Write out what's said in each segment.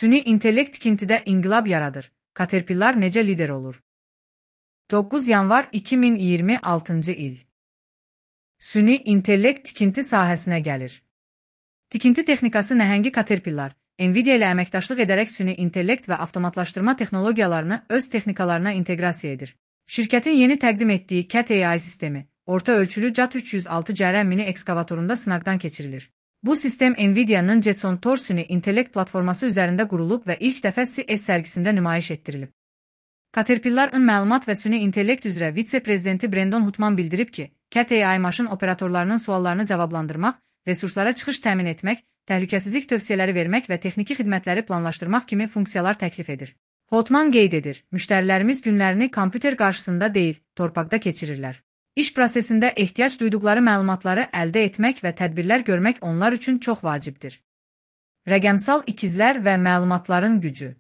Süni intellekt tikintidə inqilab yaradır. Caterpillar necə lider olur? 9 yanvar 2026 il. Süni intellekt tikinti sahəsinə gəlir. Tikinti texnikası nəhəngi Caterpillar, Nvidia ilə əməkdaşlıq edərək süni intellekt və avtomatlaşdırma texnologiyalarını öz texnikalarına inteqrasiya edir. Şirkətin yeni təqdim etdiyi Cat AI sistemi, orta ölçülü CAT 306 cərəm mini ekskavatorunda sınaqdan keçirilir. Bu sistem Nvidia'nın Jetson Tor süni intellekt platforması üzərində qurulub və ilk dəfə CES sərgisində nümayiş etdirilib. Caterpillar-ın məlumat və süni intellekt üzrə vitse-prezidenti Brandon Hutman bildirib ki, Cat AI maşın operatorlarının suallarını cavablandırmaq, resurslara çıxış təmin etmək, təhlükəsizlik tövsiyələri vermək və texniki xidmətləri planlaşdırmaq kimi funksiyalar təklif edir. Hutman qeyd edir, müştərilərimiz günlərini kompüter qarşısında deyil, torpaqda keçirirlər. İş prosesində ehtiyac duyduqları məlumatları əldə etmək və tədbirlər görmək onlar üçün çox vacibdir. Rəqəmsal ikizlər və məlumatların gücü.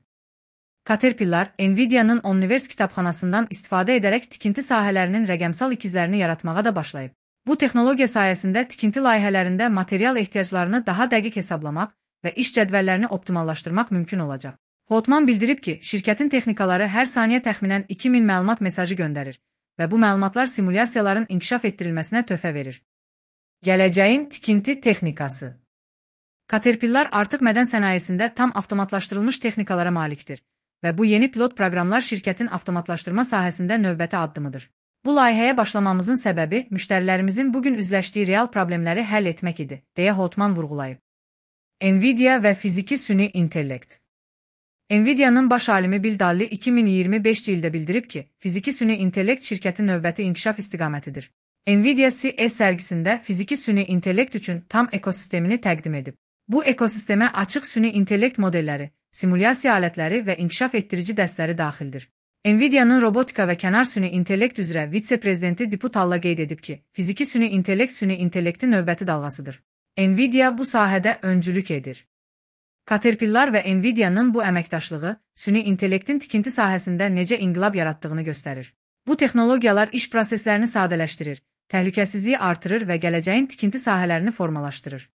Caterpillar, Nvidia'nın Omniverse kitabxanasından istifadə edərək tikinti sahələrinin rəqəmsal ikizlərini yaratmağa da başlayıb. Bu texnologiya sayəsində tikinti layihələrində material ehtiyaclarını daha dəqiq hesablamaq və iş cədvəllərini optimallaşdırmaq mümkün olacaq. Hotman bildirib ki, şirkətin texnikaları hər saniyə təxminən 2000 məlumat mesajı göndərir və bu məlumatlar simulyasiyaların inkişaf etdirilməsinə töhfə verir. Gələcəyin tikinti texnikası. Caterpillar artıq mədən sənayesində tam avtomatlaşdırılmış texnikalara malikdir və bu yeni pilot proqramlar şirkətin avtomatlaşdırma sahəsində növbəti addımıdır. Bu layihəyə başlamamızın səbəbi müştərilərimizin bugün üzləşdiyi real problemləri həll etmək idi, deyə Hotman vurğulayıb. Nvidia və fiziki süni intellekt. Nvidia'nın baş alimi Bill Dalli 2025 ildə bildirib ki, fiziki süni intellekt şirkətin növbəti inkişaf istiqamətidir. Nvidia CES sərgisində fiziki süni intellekt üçün tam ekosistemini təqdim edib. Bu ekosistemə açıq süni intellekt modelləri, simulyasiya alətləri və inkişaf etdirici dəstləri daxildir. Nvidia'nın robotika və kənar süni intellekt üzrə vitse-prezidenti Dipu Talla qeyd edib ki, fiziki süni intellektin növbəti dalğasıdır. Nvidia bu sahədə öncülük edir. Caterpillar və Nvidia'nın bu əməkdaşlığı süni intellektin tikinti sahəsində necə inqilab yaratdığını göstərir. Bu texnologiyalar iş proseslərini sadələşdirir, təhlükəsizliyi artırır və gələcəyin tikinti sahələrini formalaşdırır.